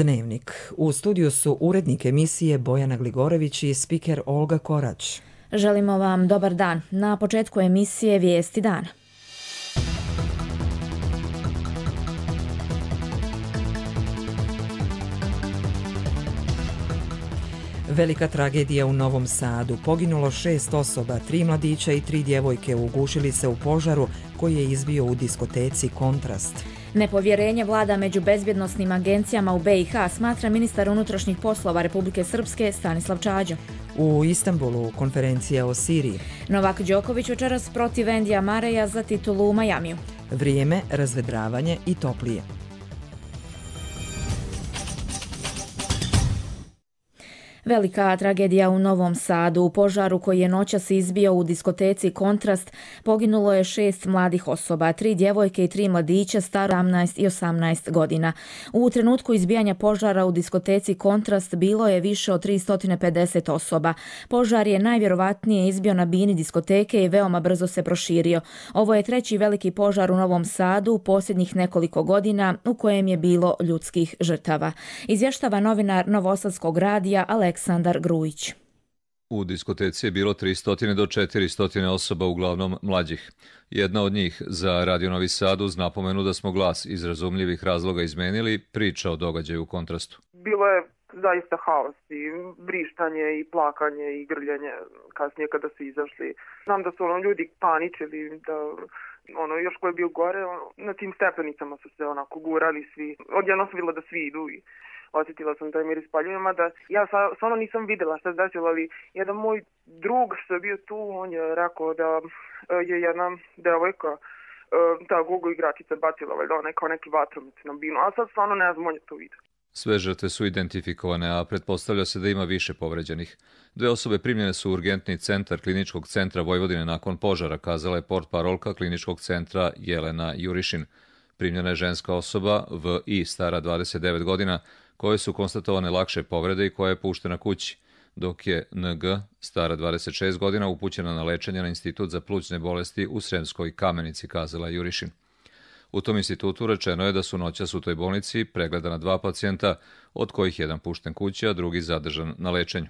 Dnevnik. U studiju su urednik emisije Bojana Gligorević i spiker Olga Korać. Želimo vam dobar dan. Na početku emisije Vijesti dana. Velika tragedija u Novom Sadu. Poginulo 6 osoba, 3 mladića i 3 djevojke ugušili se u požaru koji je izbio u diskoteci Kontrast. Nepovjerenje vlada među bezbjednosnim agencijama u BiH, smatra ministar unutrašnjih poslova Republike Srpske Stanislav Čađa. U Istanbulu konferencija o Siriji. Novak Đoković večeras protiv Endija Mareja za titulu u Majamiju. Vrijeme, razvedravanje i toplije. Velika tragedija u Novom Sadu. U požaru koji je noćas izbio u diskoteci Kontrast poginulo je 6 mladih osoba, 3 djevojke i 3 mladića staro 17 i 18 godina. U trenutku izbijanja požara u diskoteci Kontrast bilo je više od 350 osoba. Požar je najvjerovatnije izbio na bini diskoteke i veoma brzo se proširio. Ovo je treći veliki požar u Novom Sadu u posljednjih nekoliko godina u kojem je bilo ljudskih žrtava. Izvještava novinar Novosadskog radija Aleksandar Grujić. U diskoteci je bilo 300 do 400 osoba, uglavnom mlađih. Jedna od njih za Radio Novi Sad uz napomenu da smo glas iz razumljivih razloga izmenili, priča o događaju u Kontrastu. Bilo je zaista haos i vrištanje i plakanje i grljanje kasnije kada su izašli. Znam da su ljudi paničili, da još ko je bio gore, na tim stepenicama su se onako gurali svi. Odjedno sam vidjela da svi idu i osjetila sam taj miris paljenja, mada ja stvarno nisam vidjela šta se desilo, ali jedan moj drug što je bio tu, on je rekao da je jedna devojka, ta Google igračica bacila valjda kao neki vatromet na binu, a sad stvarno ne znam, on je to vidio. Sve žrtve su identifikovane, a pretpostavlja se da ima više povređenih. 2 osobe primljene su u urgentni centar Kliničkog centra Vojvodine nakon požara, kazala je portparolka Kliničkog centra Jelena Jurišin. Primljena je ženska osoba V.I. stara 29 godina, koje su konstatovane lakše povrede i koja je puštena kući, dok je N.G. stara 26 godina upućena na lečenje na Institut za plućne bolesti u Sremskoj Kamenici, kazala Jurišin. U tom institutu rečeno je da su noćas u toj bolnici pregledana 2 pacijenta, od kojih jedan pušten kući, a drugi zadržan na lečenju.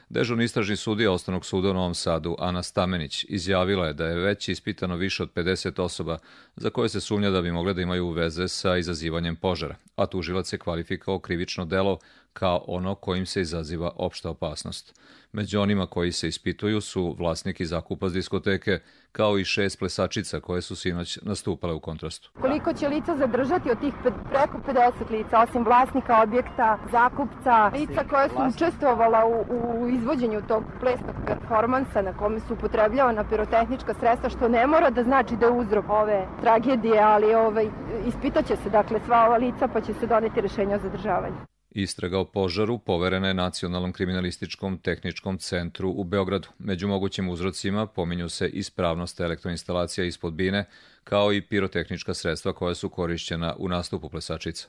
Dežurni istražni sudija Osnovnog suda u Novom Sadu, Ana Stamenić, izjavila je da je već ispitano više od 50 osoba za koje se sumnja da bi mogle da imaju veze sa izazivanjem požara, a tužilac je kvalifikovao krivično delo kao ono kojim se izaziva opšta opasnost. Među onima koji se ispituju su vlasnik i zakupac diskoteke, kao i 6 plesačica koje su sinoć nastupale u Kontrastu. Koliko će lica zadržati od tih preko 50 lica, osim vlasnika objekta, zakupca, lica koja su učestvovala u izvođenju tog plesnog performansa na kome su upotrebljavana pirotehnička sredstva, što ne mora da znači da je uzrok ove tragedije, ali ispitaće se dakle sva ova lica pa će se doneti rješenje o zadržavanju. Istraga o požaru poverena je Nacionalnom kriminalističkom tehničkom centru u Beogradu. Među mogućim uzrocima pominju se ispravnost elektroinstalacija ispod bine, kao i pirotehnička sredstva koja su korišćena u nastupu plesačica.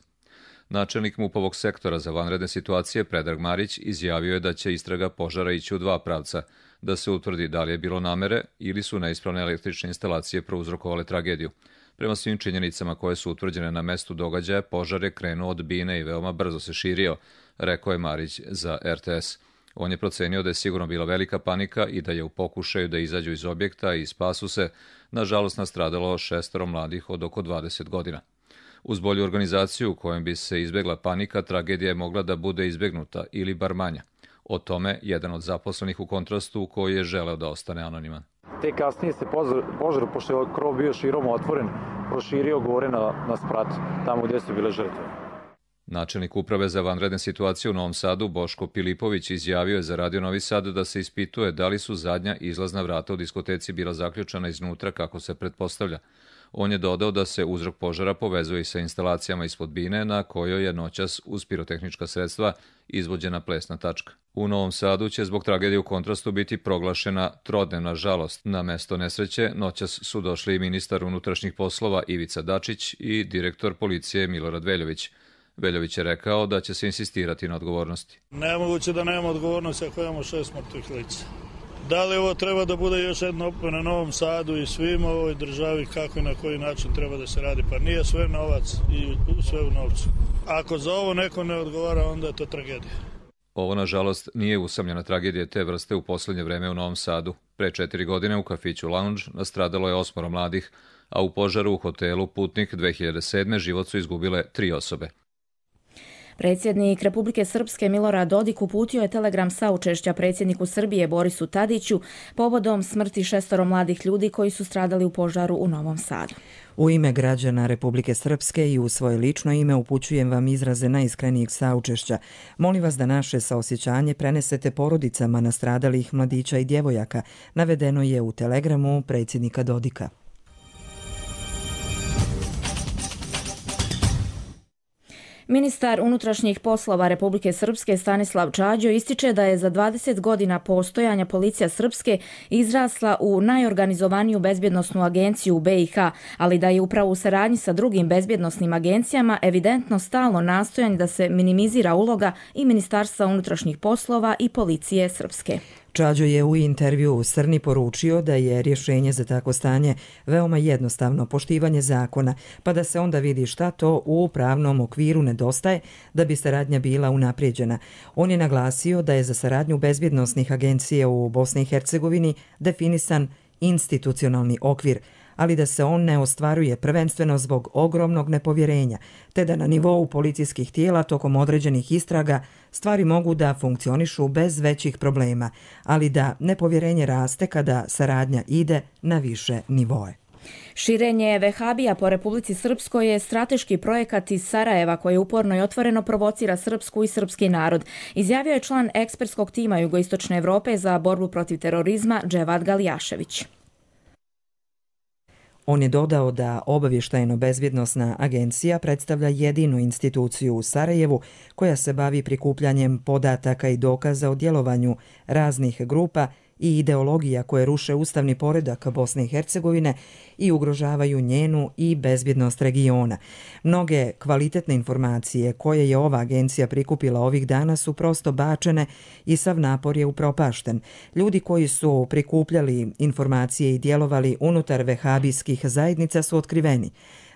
Načelnik MUP-ovog sektora za vanredne situacije Predrag Marić izjavio je da će istraga požara ići u 2 pravca, da se utvrdi da li je bilo namere ili su neispravne električne instalacije prouzrokovale tragediju. Prema svim činjenicama koje su utvrđene na mestu događaja, požar je krenuo od bine i veoma brzo se širio, rekao je Marić za RTS. On je procenio da je sigurno bila velika panika i da je u pokušaju da izađu iz objekta i spasu se, nažalost, nastradalo 6 mladih od oko 20 godina. Uz bolju organizaciju u kojom bi se izbjegla panika, tragedija je mogla da bude izbjegnuta ili bar manja. O tome jedan od zaposlenih u Kontrastu koji je želeo da ostane anoniman. Te kasnije se požar, pošto je krov bio širom otvoren, proširio gore na sprat, tamo gdje su bile žrtve. Načelnik uprave za vanredne situacije u Novom Sadu, Boško Pilipović, izjavio je za Radio Novi Sad da se ispituje da li su zadnja izlazna vrata u diskoteci bila zaključana iznutra kako se pretpostavlja. On je dodao da se uzrok požara povezuje i sa instalacijama ispod bine na kojoj je noćas uz pirotehnička sredstva izvođena plesna tačka. U Novom Sadu će zbog tragedije u Kontrastu biti proglašena trodnevna žalost. Na mesto nesreće noćas su došli i ministar unutrašnjih poslova Ivica Dačić i direktor policije Milorad Veljović. Veljović je rekao da će se insistirati na odgovornosti. Nemoguće da nema odgovornosti ako imamo 6 mrtvih lica. Da li ovo treba da bude još jedna opomena Novom Sadu i svima u ovoj državi kako i na koji način treba da se radi? Pa nije sve novac i sve u novcu. Ako za ovo neko ne odgovara, onda je to tragedija. Ovo, nažalost, nije usamljena tragedija te vrste u posljednje vreme u Novom Sadu. Pre 4 godine u kafiću Lounge nastradalo je 8 mladih, a u požaru u hotelu Putnik 2007. život su izgubile 3 osobe. Predsjednik Republike Srpske Milorad Dodik uputio je telegram saučešća predsjedniku Srbije Borisu Tadiću povodom smrti 6 mladih ljudi koji su stradali u požaru u Novom Sadu. U ime građana Republike Srpske i u svoje lično ime upućujem vam izraze najiskrenijeg saučešća. Molim vas da naše saosjećanje prenesete porodicama nastradalih mladića i djevojaka, navedeno je u telegramu predsjednika Dodika. Ministar unutrašnjih poslova Republike Srpske Stanislav Čađo ističe da je za 20 godina postojanja policija Srpske izrasla u najorganizovaniju bezbjednosnu agenciju u BiH, ali da je upravo u saradnji sa drugim bezbjednosnim agencijama evidentno stalno nastojanje da se minimizira uloga i Ministarstva unutrašnjih poslova i policije Srpske. Čađo je u intervju u Srni poručio da je rješenje za takvo stanje veoma jednostavno, poštivanje zakona, pa da se onda vidi šta to u pravnom okviru nedostaje da bi saradnja bila unaprijeđena. On je naglasio da je za saradnju bezbjednosnih agencija u Bosni i Hercegovini definisan institucionalni okvir, ali da se on ne ostvaruje prvenstveno zbog ogromnog nepovjerenja, te da na nivou policijskih tijela tokom određenih istraga stvari mogu da funkcionišu bez većih problema, ali da nepovjerenje raste kada saradnja ide na više nivoe. Širenje vehabija po Republici Srpskoj je strateški projekat iz Sarajeva koji uporno i otvoreno provocira srpsku i srpski narod, izjavio je član ekspertskog tima Jugoistočne Evrope za borbu protiv terorizma Dževad Galijašević. On je dodao da obavještajno-bezbjednosna agencija predstavlja jedinu instituciju u Sarajevu koja se bavi prikupljanjem podataka i dokaza o djelovanju raznih grupa i ideologija koje ruše ustavni poredak Bosne i Hercegovine i ugrožavaju njenu i bezbjednost regiona. Mnoge kvalitetne informacije koje je ova agencija prikupila ovih dana su prosto bačene i sav napor je upropašten. Ljudi koji su prikupljali informacije i djelovali unutar vehabijskih zajednica su otkriveni.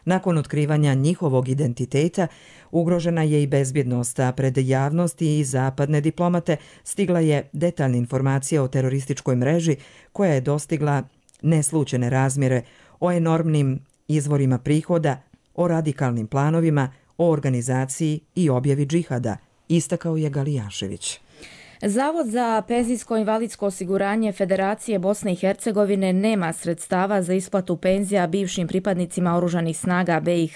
Nakon otkrivanja njihovog identiteta ugrožena je i bezbjednost, a pred javnosti i zapadne diplomate stigla je detaljna informacija o terorističkoj mreži koja je dostigla neslučene razmjere, o enormnim izvorima prihoda, o radikalnim planovima, o organizaciji i objavi džihada, istakao je Galijašević. Zavod za penzijsko-invalidsko osiguranje Federacije Bosne i Hercegovine nema sredstava za isplatu penzija bivšim pripadnicima oružanih snaga BiH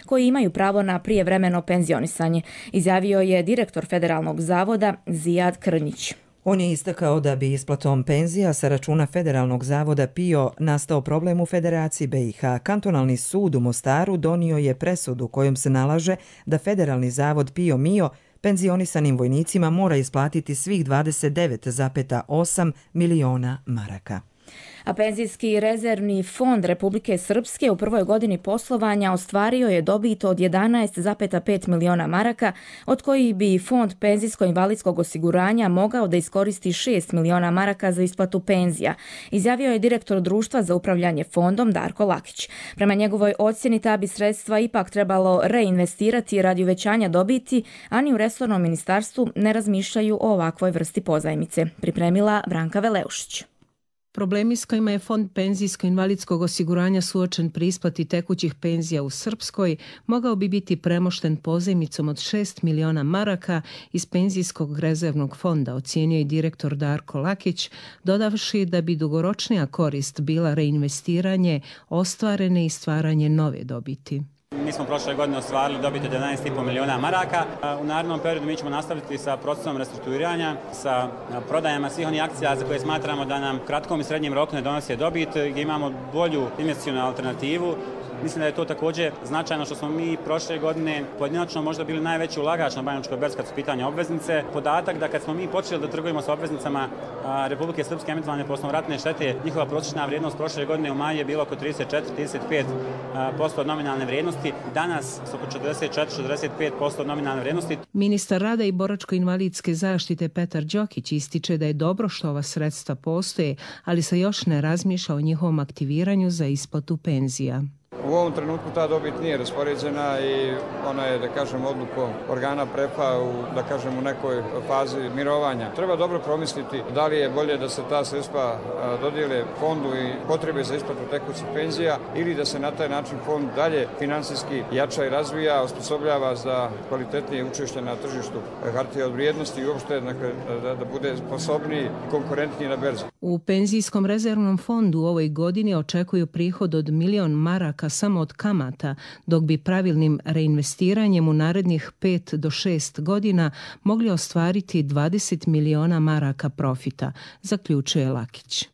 koji imaju pravo na prijevremeno penzionisanje, izjavio je direktor Federalnog zavoda Zijad Krnjić. On je istakao da bi isplatom penzija sa računa Federalnog zavoda PIO nastao problem u Federaciji BiH. Kantonalni sud u Mostaru donio je presudu kojom se nalaže da Federalni zavod PIO MIO penzionisanim vojnicima mora isplatiti svih 29,8 miliona maraka. A penzijski rezervni fond Republike Srpske u prvoj godini poslovanja ostvario je dobit od 11,5 miliona maraka, od kojih bi fond penzijsko-invalidskog osiguranja mogao da iskoristi 6 miliona maraka za isplatu penzija, izjavio je direktor društva za upravljanje fondom Darko Lakić. Prema njegovoj ocjeni ta bi sredstva ipak trebalo reinvestirati radi uvećanja dobiti, a ni u resornom ministarstvu ne razmišljaju o ovakvoj vrsti pozajmice, pripremila Branka Veleušić. Problemi s kojima je Fond penzijsko-invalidskog osiguranja suočen pri isplati tekućih penzija u Srpskoj mogao bi biti premošten pozajmicom od 6 miliona maraka iz penzijskog rezervnog fonda, ocijenio je direktor Darko Lakić, dodavši da bi dugoročnija korist bila reinvestiranje ostvarene i stvaranje nove dobiti. Mi smo prošle godine ostvarili dobit od 11,5 miliona maraka. U narednom periodu mi ćemo nastaviti sa procesom restrukturiranja, sa prodajama svih onih akcija za koje smatramo da nam u kratkom i srednjem roku ne donose dobit, gdje imamo bolju investicionu alternativu. Mislim da je to također značajno što smo mi prošle godine pojedinačno možda bili najveći ulagač na Banjalučkoj berzi kad su pitanje obveznice. Podatak da kad smo mi počeli da trgujemo sa obveznicama Republike Srpske emitovane po osnovu ratne štete, njihova prosječna vrijednost prošle godine u maju je bila oko 34-35% od nominalne vrijednosti. Danas su oko 44-45% od nominalne vrijednosti. Ministar rada i boračko-invalidske zaštite Petar Đokić ističe da je dobro što ova sredstva postoje, ali se još ne razmišlja o njihovom aktiviranju za isplatu penzija. U ovom trenutku ta dobit nije raspoređena i ona je, da kažem, odlukom organa PREPA u nekoj fazi mirovanja. Treba dobro promisliti da li je bolje da se ta sredstva dodijele fondu i potrebe za isplatu tekućih penzija ili da se na taj način fond dalje finansijski jača i razvija, osposobljava za kvalitetnije učešće na tržištu hartija od vrijednosti i uopšte da bude sposobniji i konkurentniji na berzi. U penzijskom rezervnom fondu u ovoj godini očekuju prihod od 1 milion maraka samo od kamata, dok bi pravilnim reinvestiranjem u narednih 5 do 6 godina mogli ostvariti 20 miliona maraka profita, zaključuje Lakić.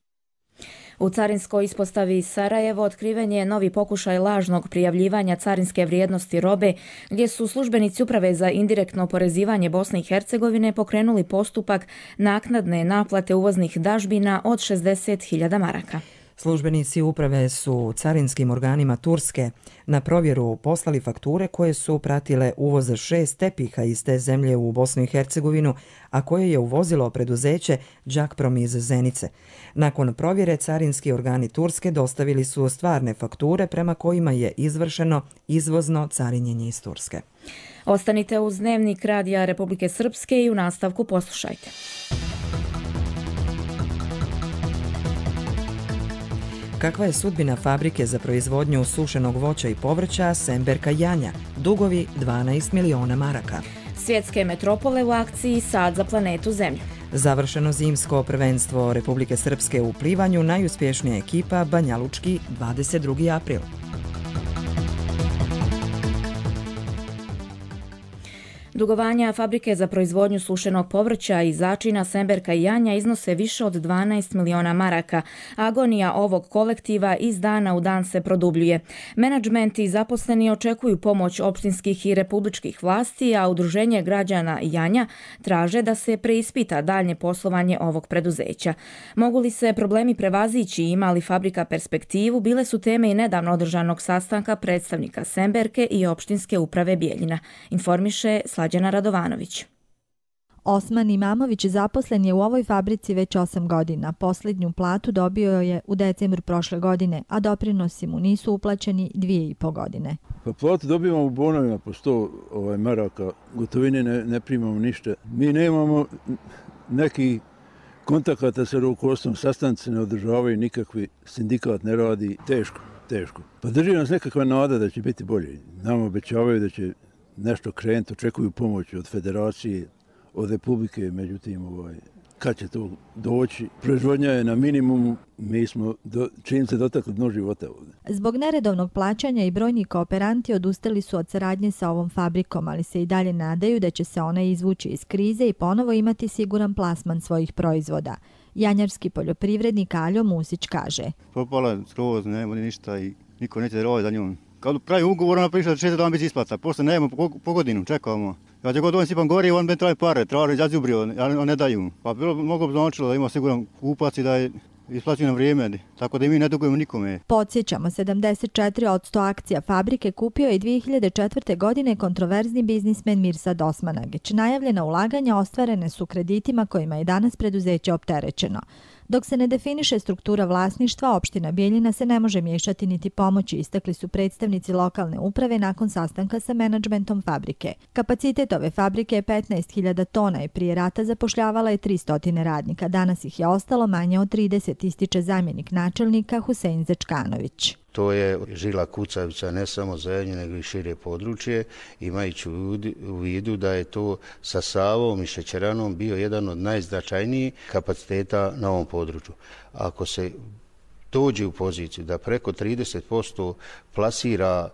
U carinskoj ispostavi Sarajevo otkriven je novi pokušaj lažnog prijavljivanja carinske vrijednosti robe, gdje su službenici Uprave za indirektno oporezivanje Bosne i Hercegovine pokrenuli postupak naknadne naplate uvoznih dažbina od 60.000 maraka. Službenici uprave su carinskim organima Turske na provjeru poslali fakture koje su pratile uvoz 6 tepiha iz te zemlje u Bosnu i Hercegovinu, a koje je uvozilo preduzeće Đakprom iz Zenice. Nakon provjere carinski organi Turske dostavili su stvarne fakture prema kojima je izvršeno izvozno carinjenje iz Turske. Ostanite uz Dnevnik Radija Republike Srpske i u nastavku poslušajte. Kakva je sudbina fabrike za proizvodnju sušenog voća i povrća Semberka Janja, dugovi 12 miliona maraka. Svjetske metropole u akciji Sad za planetu Zemlju. Završeno zimsko prvenstvo Republike Srpske u plivanju, najuspješnija ekipa Banjalučki 22. april. Dugovanja fabrike za proizvodnju sušenog povrća i začina Semberka i Janja iznose više od 12 miliona maraka. Agonija ovog kolektiva iz dana u dan se produbljuje. Menadžment i zaposleni očekuju pomoć opštinskih i republičkih vlasti, a Udruženje građana Janja traže da se preispita daljnje poslovanje ovog preduzeća. Mogu li se problemi prevazići i ima li fabrika perspektivu, bile su teme i nedavno održanog sastanka predstavnika Semberke i opštinske uprave Bijeljina. Informiše Slađana Radovanović. Osman Imamović zaposlen je u ovoj fabrici već 8 godina. Posljednju platu dobio je u decembru prošle godine, a doprinosi mu nisu uplaćeni 2,5 godine. Pa platu dobivamo u bonovima po 100 maraka, gotovine ne primamo ništa. Mi nemamo neki kontakata sa rukovodstvom, sastanci ne održavaju nikakvi, sindikat ne radi, teško. Pa drži nas nekakva nada da će biti bolje. Nam obećavaju da će nešto krenuti, očekuju pomoć od federacije, od republike, međutim, kad će to doći? Proizvodnja je na minimumu, mi smo čim se dotakli dno života ovdje. Zbog neredovnog plaćanja i brojni kooperanti odustali su od saradnje sa ovom fabrikom, ali se i dalje nadaju da će se ona izvući iz krize i ponovo imati siguran plasman svojih proizvoda. Janjarski poljoprivrednik Aljo Musić kaže. Propala skroz, nema ništa i niko neće rovati za njom. Kad pravi ugovor, ona priča da će 6 dana biti isplata, posle nejemo po godinu, čekamo. Ja će god on sipam gori, on ben traje pare, traži zazubrio, on ne daju. Pa mogo bi značilo da ima siguran kupac i da je isplaćuje na vrijeme, tako da mi ne dugujemo nikome. Podsjećamo, 74% akcija fabrike kupio je 2004. godine kontroverzni biznismen Mirsad Osmanagić. Najavljena ulaganja ostvarene su kreditima kojima je danas preduzeće opterećeno. Dok se ne definiše struktura vlasništva, opština Bijeljina se ne može miješati niti pomoći, istakli su predstavnici lokalne uprave nakon sastanka sa menadžmentom fabrike. Kapacitet ove fabrike je 15.000 tona i prije rata zapošljavala je 300 radnika. Danas ih je ostalo manje od 30, ističe zamjenik načelnika Husein Zečkanović. To je žila kucavica ne samo za Jenju, nego i šire područje, imajući u vidu da je to sa Savom i šećeranom bio jedan od najznačajnijih kapaciteta na ovom području. Ako se dođe u poziciju da preko 30% plasira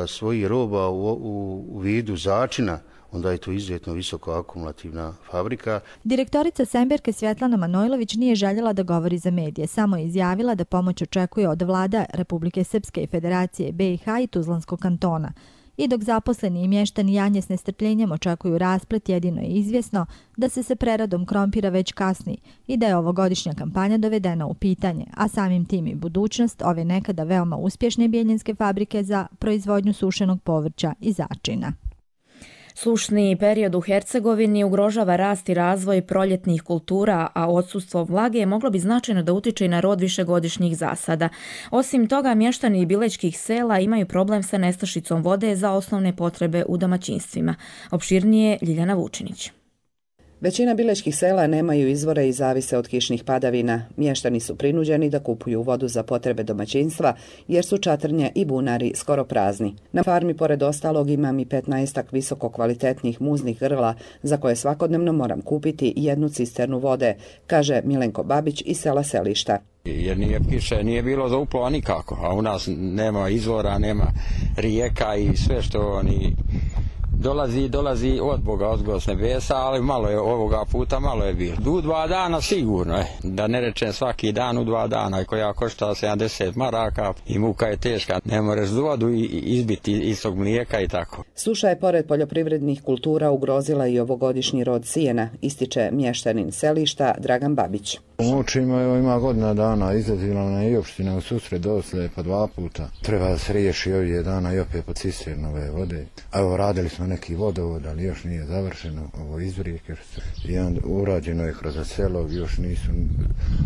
svojih roba u vidu začina, onda je to izuzetno visoko akumulativna fabrika. Direktorica Semberke Svjetlana Manojlović nije željela da govori za medije, samo je izjavila da pomoć očekuje od vlada Republike Srpske i Federacije BiH i Tuzlanskog kantona. I dok zaposleni i mještani Janje s nestrpljenjem očekuju rasplet, jedino je izvjesno da se sa preradom krompira već kasni i da je ovogodišnja kampanja dovedena u pitanje, a samim tim i budućnost ove nekada veoma uspješne bijeljinske fabrike za proizvodnju sušenog povrća i začina. Sušni period u Hercegovini ugrožava rast i razvoj proljetnih kultura, a odsustvo vlage moglo bi značajno da utiče i na rod višegodišnjih zasada. Osim toga, mještani bilećkih sela imaju problem sa nestašicom vode za osnovne potrebe u domaćinstvima. Opširnije Ljiljana Vučinić. Većina bilećkih sela nemaju izvore i zavise od kišnih padavina. Mještani su prinuđeni da kupuju vodu za potrebe domaćinstva jer su čatrnje i bunari skoro prazni. Na farmi pored ostalog imam i 15 visoko kvalitetnih muznih grla za koje svakodnevno moram kupiti 1 cisternu vode, kaže Milenko Babić iz sela Selišta. Jer nije kiše, nije bilo za uplova nikako, a u nas nema izvora, nema rijeka i sve što oni dolazi od Boga, od s nebesa, ali malo je ovoga puta, malo je bilo. U 2 dana sigurno, da ne rečem svaki dan u 2 dana, koja košta 70 maraka i muka je teška, ne možeš vodu izbiti iz tog mlijeka i tako. Suša je pored poljoprivrednih kultura ugrozila i ovogodišnji rod sijena, ističe mještanin Selišta Dragan Babić. Mučima ima godina dana, izlazila na i opština u susret dosle pa 2 puta. Treba da se riješi ovdje dana i opet po cisternove vode. Evo radili smo neki vodovod, ali još nije završeno, ovo izvrijeke. I urađeno je kroz selo, još nisu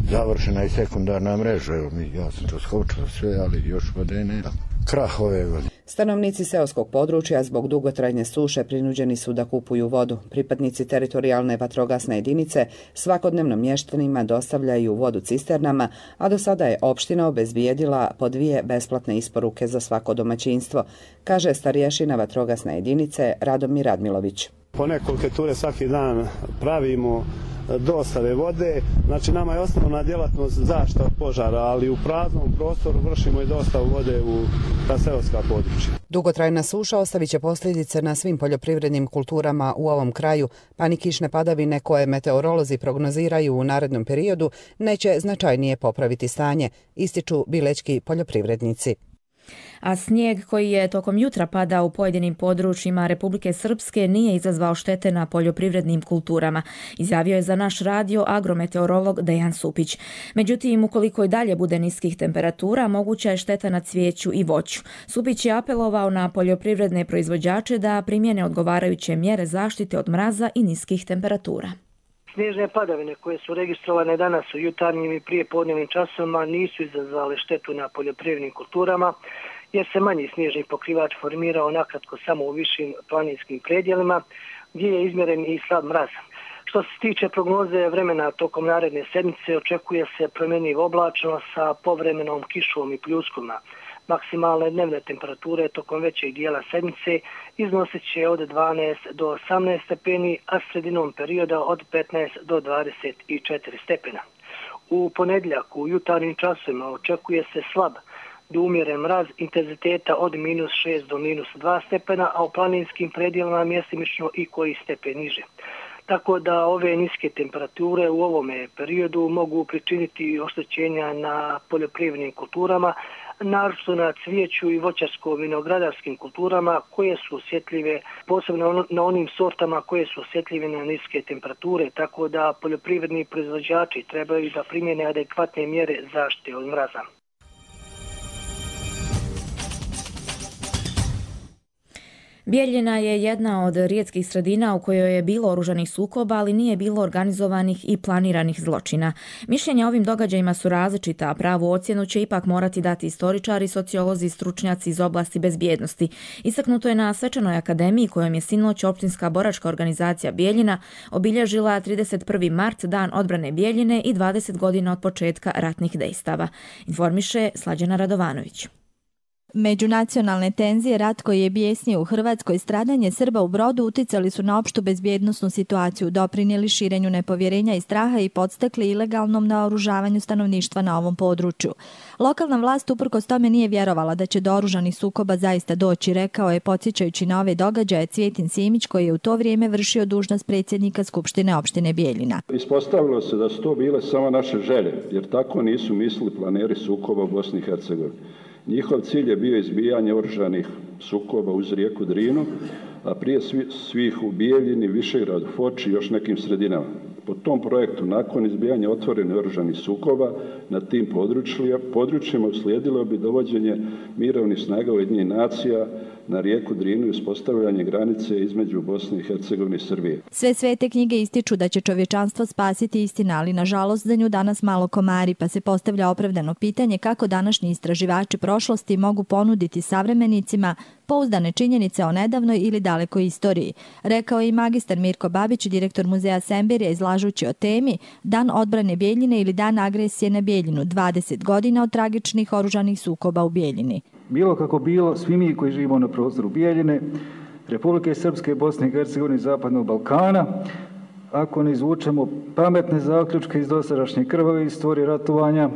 završena i sekundarna mreža. Evo ja sam to skočio sve, ali još vode nema. Krah ove godine. Stanovnici seoskog područja zbog dugotrajne suše prinuđeni su da kupuju vodu. Pripadnici teritorijalne vatrogasne jedinice svakodnevno mještanima dostavljaju vodu cisternama, a do sada je opština obezbijedila po 2 besplatne isporuke za svako domaćinstvo, kaže starješina vatrogasne jedinice Radomir Radmilović. Po nekoliko ture svaki dan pravimo dostave vode, znači nama je osnovna djelatnost zaštita od požara, ali u praznom prostoru vršimo i dostavu vode u ta seoska područja. Dugotrajna suša ostavit će posljedice na svim poljoprivrednim kulturama u ovom kraju, pa ni kišne padavine koje meteorolozi prognoziraju u narednom periodu neće značajnije popraviti stanje, ističu bilećki poljoprivrednici. A snijeg koji je tokom jutra padao u pojedinim područjima Republike Srpske nije izazvao štete na poljoprivrednim kulturama, izjavio je za naš radio agrometeorolog Dejan Supić. Međutim, ukoliko i dalje bude niskih temperatura, moguća je šteta na cvijeću i voću. Supić je apelovao na poljoprivredne proizvođače da primjene odgovarajuće mjere zaštite od mraza i niskih temperatura. Snježne padavine koje su registrovane danas u jutarnjim i prijepodnevnim časovima nisu izazvale štetu na poljoprivrednim kulturama, jer se manji snježni pokrivač formirao nakratko samo u višim planinskim predjelima, gdje je izmjeren i slab mraz. Što se tiče prognoze vremena tokom naredne sedmice, očekuje se promjenjiv oblačno sa povremenom kišom i pljuskovima. Maksimalne dnevne temperature tokom većeg dijela sedmice iznosit će od 12 do 18 stepeni, a sredinom perioda od 15 do 24 stepena. U ponedjeljak u jutarnjim časovima očekuje se slab do umjeren mraz intenziteta od -6 do -2 stepena, a u planinskim predjelima mjestimično i koji stepen niže. Tako da ove niske temperature u ovome periodu mogu pričiniti oštećenja na poljoprivrednim kulturama, naročito na cvijeću i voćarsko-vinogradarskim kulturama koje su osjetljive, posebno na onim sortama koje su osjetljive na niske temperature, tako da poljoprivredni proizvođači trebaju da primjene adekvatne mjere zaštite od mraza. Bijeljina je jedna od rijetkih sredina u kojoj je bilo oružanih sukoba, ali nije bilo organizovanih i planiranih zločina. Mišljenja o ovim događajima su različita, a pravu ocjenu će ipak morati dati istoričari, sociolozi i stručnjaci iz oblasti bezbjednosti. Istaknuto je na Svečanoj akademiji kojom je sinoć općinska boračka organizacija Bijeljina obilježila 31. mart, dan odbrane Bijeljine i 20 godina od početka ratnih dejstava. Informiše Slađana Radovanović. Međunacionalne tenzije, rat koji je bijesnio u Hrvatskoj, stradanje Srba u Brodu uticali su na opštu bezbjednosnu situaciju, doprinijeli širenju nepovjerenja i straha i podstakli ilegalnom naoružavanju stanovništva na ovom području. Lokalna vlast uprkos tome nije vjerovala da će do oružanih sukoba zaista doći, rekao je podsjećajući na ove događaje Cvjetin Simić koji je u to vrijeme vršio dužnost predsjednika Skupštine opštine Bijeljina. Ispostavilo se da su to bile samo naše želje, jer tako nisu mislili planeri sukoba u Bosni i Hercegovini. Njihov cilj je bio izbijanje oružanih sukoba uz rijeku Drinu, a prije svih u Bijeljini, Višegradu, Foči i još nekim sredinama. Po tom projektu, nakon izbijanja otvorenih oružanih sukoba na tim područjima uslijedilo bi dovođenje mirovnih snaga Ujedinjenih nacija na rijeku Drinu i uspostavljanje granice između Bosne i Hercegovine i Srbije. Sve svete knjige ističu da će čovječanstvo spasiti istina, ali nažalost za nju danas malo komari, pa se postavlja opravdano pitanje kako današnji istraživači prošlosti mogu ponuditi savremenicima pouzdane činjenice o nedavnoj ili dalekoj istoriji, rekao je i magistar Mirko Babić, direktor muzeja Semberija, izlažući o temi Dan odbrane Bijeljine ili Dan agresije na Bijeljinu, 20 godina od tragičnih oružanih sukoba u Bijeljini. Bilo kako bilo, svi mi koji živimo na prostoru Bijeljine, Republike Srpske, Bosne i Hercegovine i Zapadnog Balkana, ako ne izvučemo pametne zaključke iz dosadašnje krvave istorije ratovanja,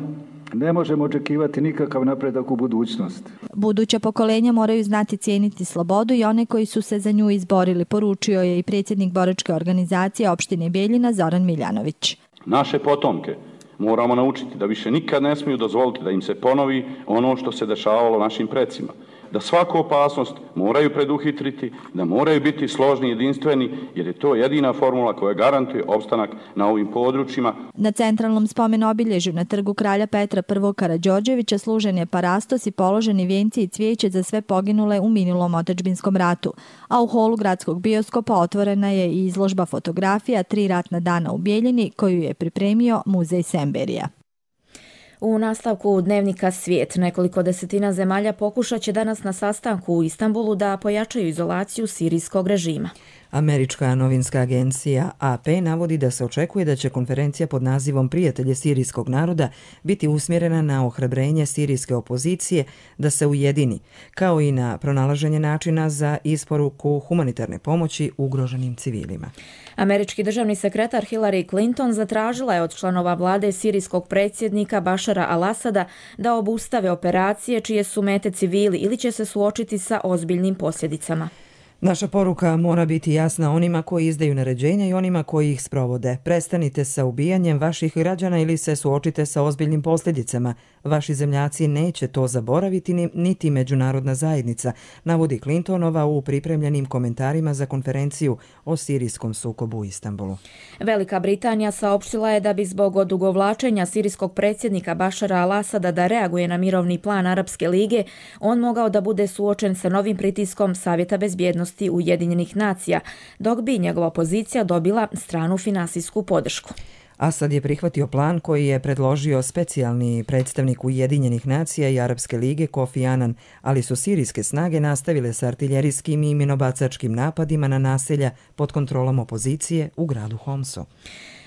ne možemo očekivati nikakav napredak u budućnost. Buduća pokolenja moraju znati cijeniti slobodu i one koji su se za nju izborili, poručio je i predsjednik boračke organizacije opštine Bijeljina Zoran Miljanović. Naše potomke moramo naučiti da više nikad ne smiju dozvoliti da im se ponovi ono što se dešavalo našim precima. Da svaku opasnost moraju preduhitriti, da moraju biti složni i jedinstveni, jer je to jedina formula koja garantuje opstanak na ovim područjima. Na centralnom spomen obilježju na trgu kralja Petra I. Karađorđevića služen je parastos i položeni vijenci i cvijeće za sve poginule u minulom otadžbinskom ratu, a u holu gradskog bioskopa otvorena je i izložba fotografija 3 ratna dana u Bijeljini koju je pripremio muzej Semberija. U nastavku dnevnika Svijet nekoliko desetina zemalja pokušat će danas na sastanku u Istanbulu da pojačaju izolaciju sirijskog režima. Američka novinska agencija AP navodi da se očekuje da će konferencija pod nazivom Prijatelje sirijskog naroda biti usmjerena na ohrabrenje sirijske opozicije da se ujedini, kao i na pronalaženje načina za isporuku humanitarne pomoći ugroženim civilima. Američki državni sekretar Hillary Clinton zatražila je od članova vlade sirijskog predsjednika Bašara al-Asada da obustave operacije čije su mete civili ili će se suočiti sa ozbiljnim posljedicama. Naša poruka mora biti jasna onima koji izdaju naređenja i onima koji ih sprovode. Prestanite sa ubijanjem vaših građana ili se suočite sa ozbiljnim posljedicama. Vaši zemljaci neće to zaboraviti niti međunarodna zajednica, navodi Clintonova u pripremljenim komentarima za konferenciju o sirijskom sukobu u Istanbulu. Velika Britanija saopštila je da bi zbog odugovlačenja sirijskog predsjednika Bašara al-Asada da reaguje na mirovni plan Arapske lige, on mogao da bude suočen sa novim pritiskom Savjeta bezbjednosti Ujedinjenih nacija, dok bi njegova pozicija dobila stranu finansijsku podršku. Asad je prihvatio plan koji je predložio specijalni predstavnik Ujedinjenih nacija i Arapske lige Kofi Annan, ali su sirijske snage nastavile sa artiljerijskim i minobacačkim napadima na naselja pod kontrolom opozicije u gradu Homsu.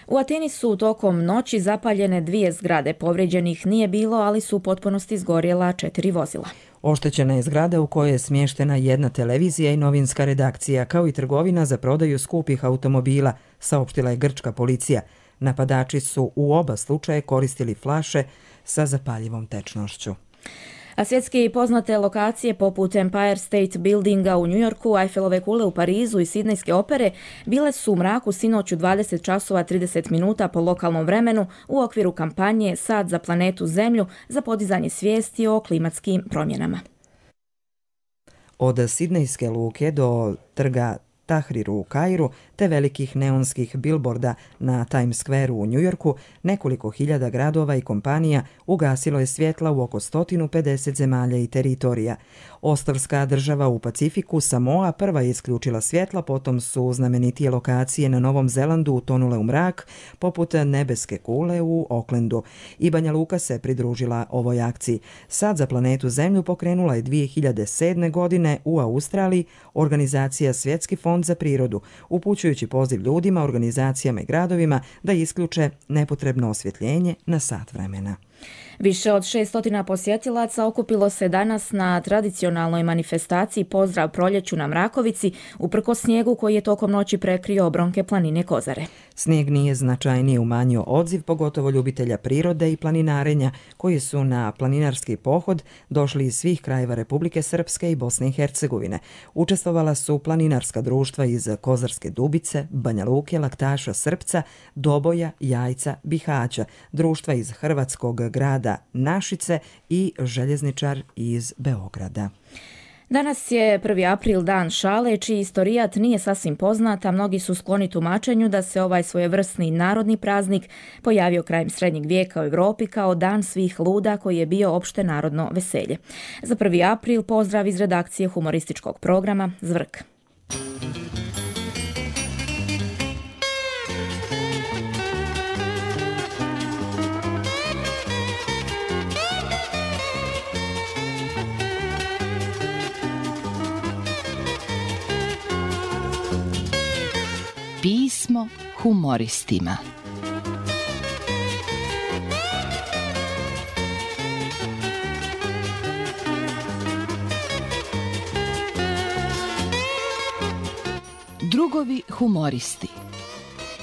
U Ateni su tokom noći zapaljene 2 zgrade, povrijeđenih nije bilo, ali su u potpunosti izgorjela 4 vozila. Oštećena je zgrada u kojoj je smještena 1 televizija i novinska redakcija, kao i trgovina za prodaju skupih automobila, saopštila je grčka policija. Napadači su u oba slučaje koristili flaše sa zapaljivom tečnošću. A svjetski poznate lokacije poput Empire State Buildinga u Njujorku, Eiffelove kule u Parizu i Sidnejske opere bile su u mraku sinoć u 20 časova 30 minuta po lokalnom vremenu u okviru kampanje Sad za planetu Zemlju za podizanje svijesti o klimatskim promjenama. Od Sidnejske luke do trga Tahriru u Kairu te velikih neonskih bilborda na Times Square u Njujorku, nekoliko hiljada gradova i kompanija ugasilo je svjetla u oko 150 zemalja i teritorija. Ostrvska država u Pacifiku, Samoa, prva je isključila svjetla, potom su znamenitije lokacije na Novom Zelandu utonule u mrak, poput nebeske kule u Aucklandu. I Banja Luka se pridružila ovoj akciji. Sad za planetu Zemlju pokrenula je 2007. godine u Australiji organizacija Svjetski fond za prirodu, upućujući poziv ljudima, organizacijama i gradovima da isključe nepotrebno osvjetljenje na sat vremena. Više od 600 posjetilaca okupilo se danas na tradicionalnoj manifestaciji Pozdrav proljeću na Mrakovici, uprkos snijegu koji je tokom noći prekrio obronke planine Kozare. Snijeg nije značajnije umanjio odziv, pogotovo ljubitelja prirode i planinarenja, koji su na planinarski pohod došli iz svih krajeva Republike Srpske i Bosne i Hercegovine. Učestvovala su planinarska društva iz Kozarske Dubice, Banja Luke, Laktaša, Srpca, Doboja, Jajca, Bihaća, društva iz hrvatskog grada Našice i željezničar iz Beograda. Danas je 1. april, dan šale, čiji istorijat nije sasvim poznat, a mnogi su skloni tumačenju da se ovaj svojevrsni narodni praznik pojavio krajem srednjeg vijeka u Europi kao dan svih luda koji je bio opšte narodno veselje. Za 1. april pozdrav iz redakcije humorističkog programa Zvrk. Pismo humoristima. Drugovi humoristi.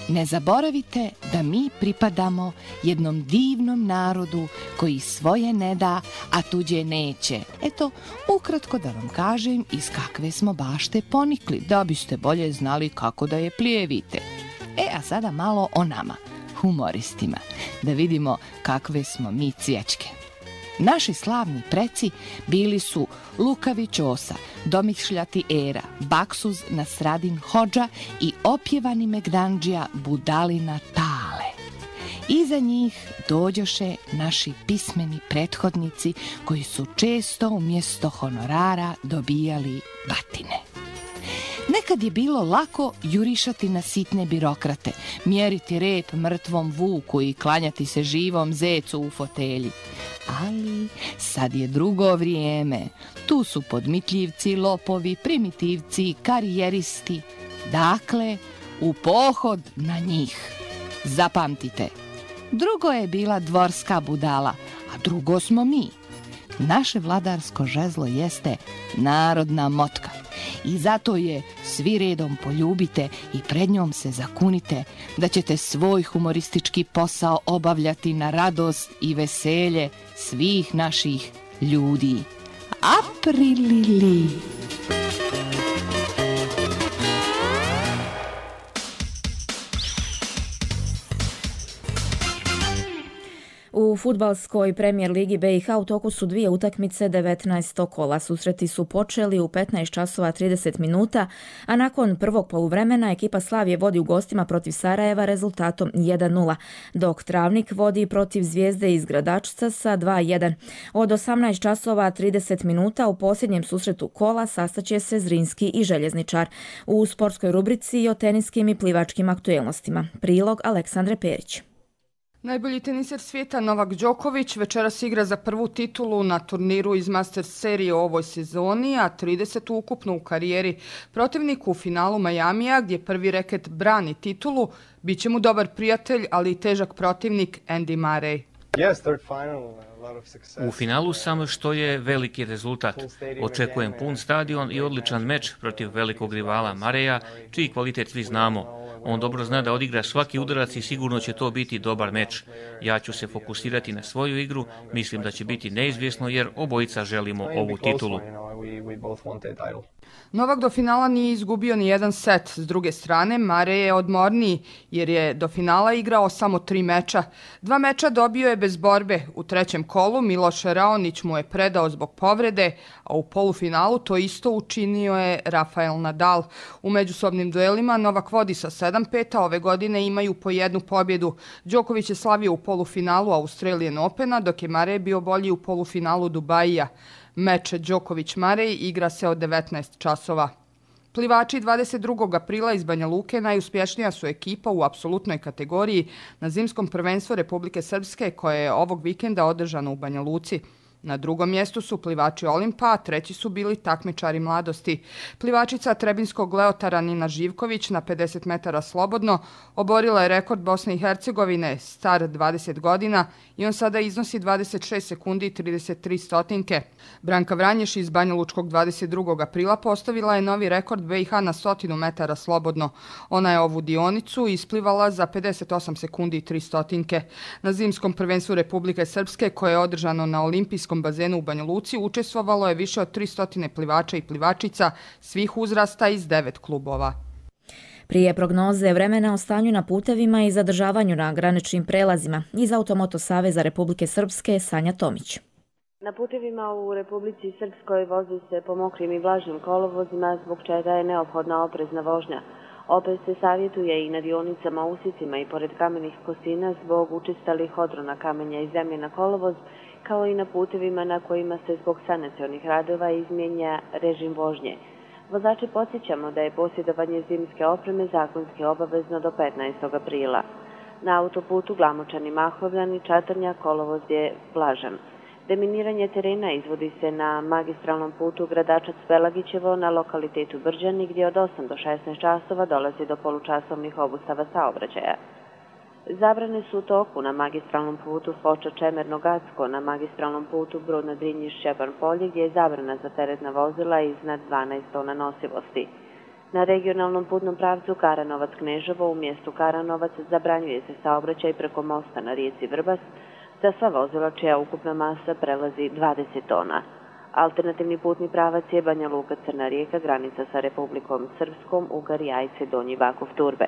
Ne zaboravite da mi pripadamo jednom divnom narodu koji svoje ne da, a tuđe neće. Eto, ukratko da vam kažem iz kakve smo bašte ponikli, da biste bolje znali kako da je plijevite. A sada malo o nama, humoristima, da vidimo kakve smo mi cvječke. Naši slavni preci bili su Lukavi Ćosa, Domišljati Era, Baksuz Nasradin Hodža i opjevani Megdandžija Budalina Tale. Iza njih dođoše naši pismeni prethodnici koji su često umjesto honorara dobijali batine. Nekad je bilo lako jurišati na sitne birokrate, mjeriti rep mrtvom vuku i klanjati se živom zecu u fotelji. Ali sad je drugo vrijeme. Tu su podmitljivci, lopovi, primitivci, karijeristi. Dakle, u pohod na njih. Zapamtite, drugo je bila dvorska budala, a drugo smo mi. Naše vladarsko žezlo jeste narodna motka. I zato je svi redom poljubite i pred njom se zakunite da ćete svoj humoristički posao obavljati na radost i veselje svih naših ljudi. Aprilili! U fudbalskoj premijer ligi BiH u toku su dvije utakmice 19. kola. Susreti su počeli u 15 časova 30 minuta, a nakon prvog poluvremena ekipa Slavije vodi u gostima protiv Sarajeva rezultatom 1-0, dok Travnik vodi protiv Zvijezde iz Gradačca sa 2-1. Od 18 časova 30 minuta u posljednjem susretu kola sastaće se Zrinski i Željezničar. U sportskoj rubrici o teniskim i plivačkim aktuelnostima. Prilog Aleksandre Perić. Najbolji teniser svijeta Novak Đoković večeras igra za prvu titulu na turniru iz Masters serije u ovoj sezoni, a 30 ukupno u karijeri. Protivnik u finalu Majamija, gdje prvi reket brani titulu, bit će mu dobar prijatelj, ali i težak protivnik Andy Murray. U finalu sam, što je veliki rezultat. Očekujem pun stadion i odličan meč protiv velikog rivala Murraya, čiji kvalitet svi znamo. On dobro zna da odigra svaki udarac i sigurno će to biti dobar meč. Ja ću se fokusirati na svoju igru, mislim da će biti neizvjesno jer obojica želimo ovu titulu. Novak do finala nije izgubio ni jedan set. S druge strane, Murray je odmorniji jer je do finala igrao samo 3 meča. 2 meča dobio je bez borbe. U trećem kolu Miloš Raonić mu je predao zbog povrede, a u polufinalu to isto učinio je Rafael Nadal. U međusobnim duelima Novak vodi sa 7-5, a ove godine imaju po jednu pobjedu. Đoković je slavio u polufinalu Australian Opena, dok je Murray bio bolji u polufinalu Dubaija. Meč Đoković-Murray igra se od 19 časova. Plivači 22. aprila iz Banja Luke najuspješnija su ekipa u apsolutnoj kategoriji na zimskom prvenstvu Republike Srpske koje je ovog vikenda održano u Banja Luci. Na drugom mjestu su plivači Olimpa, a treći su bili takmičari mladosti. Plivačica trebinskog Leotara Nina Živković na 50 metara slobodno oborila je rekord Bosne i Hercegovine, star 20 godina, i on sada iznosi 26 sekundi i 33 stotinke. Branka Vranješ iz Banja Lučkog 22. aprila postavila je novi rekord BiH na 100 metara slobodno. Ona je ovu dionicu isplivala za 58 sekundi i 3 stotinke. Na zimskom prvenstvu Republike Srpske, koje je održano na olimpijskom bazenu u Banja Luci, učestvovalo je više od 300 plivača i plivačica svih uzrasta iz 9 klubova. Prije prognoze vremena o stanju na putevima i zadržavanju na graničnim prelazima iz Automoto Saveza Republike Srpske Sanja Tomić. Na putevima u Republici Srpskoj vozi se po mokrim i vlažnim kolovozima, zbog čega je neophodna oprezna vožnja. Opet se savjetuje i na dionicama usicima i pored kamenih kosina zbog učestalih odrona kamenja i zemlje na kolovoz, kao i na putevima na kojima se zbog sanacionih radova izmijenja režim vožnje. Vozači podsjećamo da je posjedovanje zimske opreme zakonski obavezno do 15. aprila. Na autoputu Glamočani-Mahovljani Čatrnja kolovoz je vlažan. Deminiranje terena izvodi se na magistralnom putu Gradačac-Pelagićevo na lokalitetu Brđani, gdje od 8 do 16 časova dolazi do polučasovnih obustava saobraćaja. Zabrane su u toku na magistralnom putu Foča-Čemerno-Gacko, na magistralnom putu Brudno-Drinjić-Šćepan-Polje, gdje je zabrana za teretna vozila iznad 12 tona nosivosti. Na regionalnom putnom pravcu Karanovac-Kneževo u mjestu Karanovac zabranjuje se saobraćaj preko mosta na rijeci Vrbas za sva vozila čija ukupna masa prelazi 20 tona. Alternativni putni pravac je Banja Luka-Crna Rijeka, granica sa Republikom Srpskom, Ugar, Jajce, Donji Vakuf, Turbe.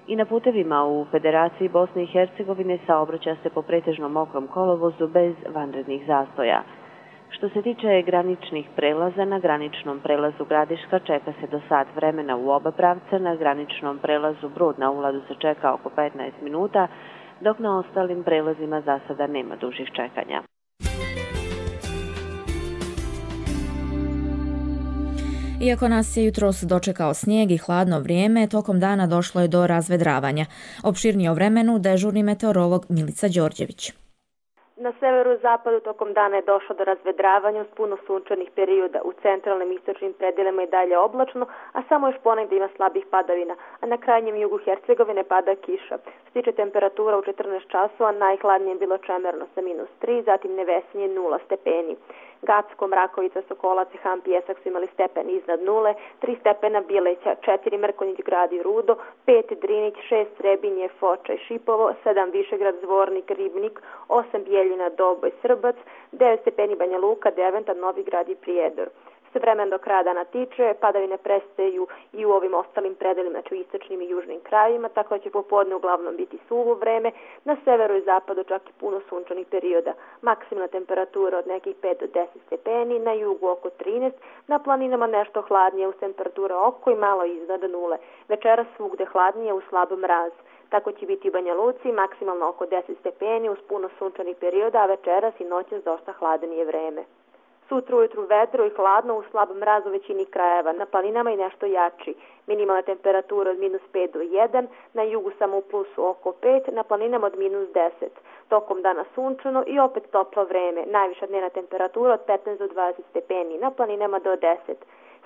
I na putevima u Federaciji Bosne i Hercegovine saobraća se po pretežno mokrom kolovozu bez vanrednih zastoja. Što se tiče graničnih prelaza, na graničnom prelazu Gradiška čeka se do sat vremena u oba pravca, na graničnom prelazu Brod na ulazu se čeka oko 15 minuta, dok na ostalim prelazima za sada nema dužih čekanja. Iako nas je jutros dočekao snijeg i hladno vrijeme, tokom dana došlo je do razvedravanja. Opširnije o vremenu dežurni meteorolog Milica Đorđević. Na severu-zapadu tokom dana je došlo do razvedravanja uz puno sunčanih perioda. U centralnim istočnim predelima je dalje oblačno, a samo još ponegdje ima slabih padavina, a na krajnjem jugu Hercegovine pada kiša. Što se tiče temperatura u 14 časova, najhladnije je bilo Čemerno sa -3, zatim Nevesinje 0 stepeni. Gacko, Mrakovica, Sokolac i Han Pjesak su imali stepen iznad 0, 3 stepena Bileća, 4 Mrkonjić, Grad i Rudo, 5 Drinić, 6 Srebinje, Foča i Šipovo, 7 Višegrad, Zvornik, Ribnik, 8 Bijeljina, Doboj, Srbac, 9 stepeni Banja Luka, Deventa, Novi Grad i Prijedor. Se vremen do kraja dana tiče, padavine prestaju i u ovim ostalim predelima, znači u istočnim i južnim krajevima, tako da će popodne uglavnom biti suvo vreme, na severu i zapadu čak i puno sunčanih perioda. Maksimalna temperatura od nekih 5 do 10 stepeni, na jugu oko 13, na planinama nešto hladnije uz temperatura oko i malo iznad 0. Večeras svugde hladnije uz slab mraz. Tako će biti u Banja Luci, maksimalno oko 10 stepeni uz puno sunčanih perioda, a večeras i noćas dosta hladnije vreme. Sutra ujutru vedro i hladno uz slab mraz u većini krajeva, na planinama i nešto jači. Minimalna temperatura od -5 do 1, na jugu samo u plusu oko 5, na planinama od -10. Tokom dana sunčano i opet toplo vreme, najviša dnevna temperatura od 15 do 20 stepeni, na planinama do 10.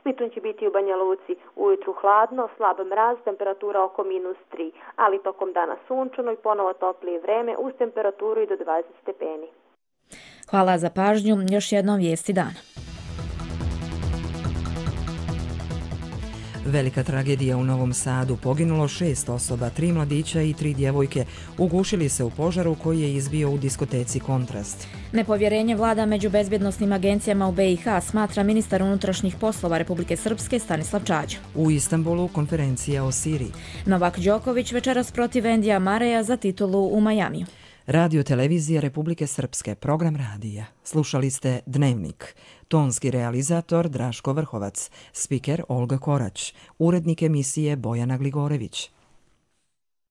Slično će biti u Banja Luci, ujutru hladno, slab mraz, temperatura oko -3, ali tokom dana sunčano i ponovo toplije vreme uz temperaturu i do 20 stepeni. Hvala za pažnju, još jednom vijesti dana. Velika tragedija u Novom Sadu, poginulo 6 osoba, 3 mladića i 3 djevojke, ugušili se u požaru koji je izbio u diskoteci Kontrast. Nepovjerenje vlada među bezbjednosnim agencijama u BiH, smatra ministar unutrašnjih poslova Republike Srpske Stanislav Čađa. U Istanbulu konferencija o Siriji. Novak Đoković večeras protiv Endija Mareja za titulu u Majamiju. Radio televizija Republike Srpske, program radija. Slušali ste Dnevnik. Tonski realizator Draško Vrhovac, spiker Olga Korać, urednik emisije Bojana Gligorević.